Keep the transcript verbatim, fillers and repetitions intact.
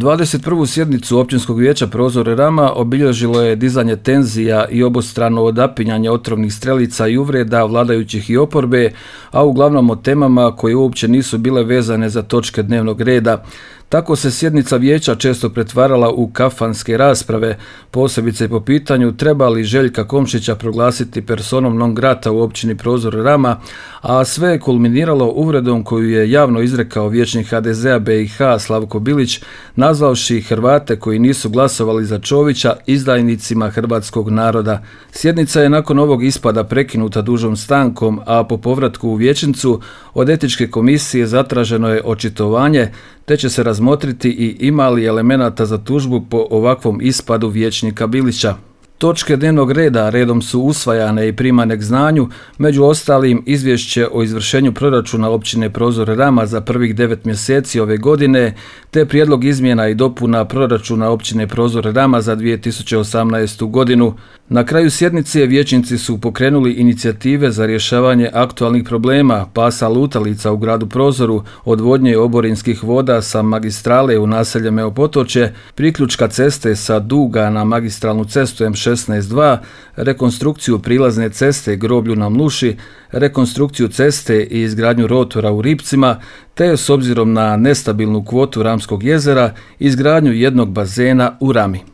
dvadeset prvu sjednicu Općinskog vijeća Prozore Rama obilježilo je dizanje tenzija i obostrano odapinjanje otrovnih strelica i uvreda vladajućih i oporbe, a uglavnom o temama koje uopće nisu bile vezane za točke dnevnog reda. Tako se sjednica vijeća često pretvarala u kafanske rasprave, posebice po pitanju treba li Željka Komšića proglasiti personom non grata u općini Prozore Rama, a sve je kulminiralo uvredom koju je javno izrekao vijećnik ha de zea be i ha Slavko Bilić, nazvavši Hrvate koji nisu glasovali za Čovića izdajnicima hrvatskog naroda. Sjednica je nakon ovog ispada prekinuta dužom stankom, a po povratku u vijećnicu od etičke komisije zatraženo je očitovanje, te će se razmotriti i ima li elemenata za tužbu po ovakvom ispadu vijećnika Bilića. Točke dnevnog reda redom su usvajane i primane k znanju, među ostalim izvješće o izvršenju proračuna općine Prozore Rama za prvih devet mjeseci ove godine, te prijedlog izmjena i dopuna proračuna općine Prozore Rama za dvije tisuće osamnaestu. godinu. Na kraju sjednice vijećnici su pokrenuli inicijative za rješavanje aktualnih problema pasa lutalica u gradu Prozoru, odvodnje oborinskih voda sa magistrale u naselje Meopotočje, priključka ceste sa Duga na magistralnu cestu em šesnaest dva, rekonstrukciju prilazne ceste Groblju na Mluši, rekonstrukciju ceste i izgradnju rotora u Ripcima, te s obzirom na nestabilnu kvotu Ramskog jezera, izgradnju jednog bazena u Rami.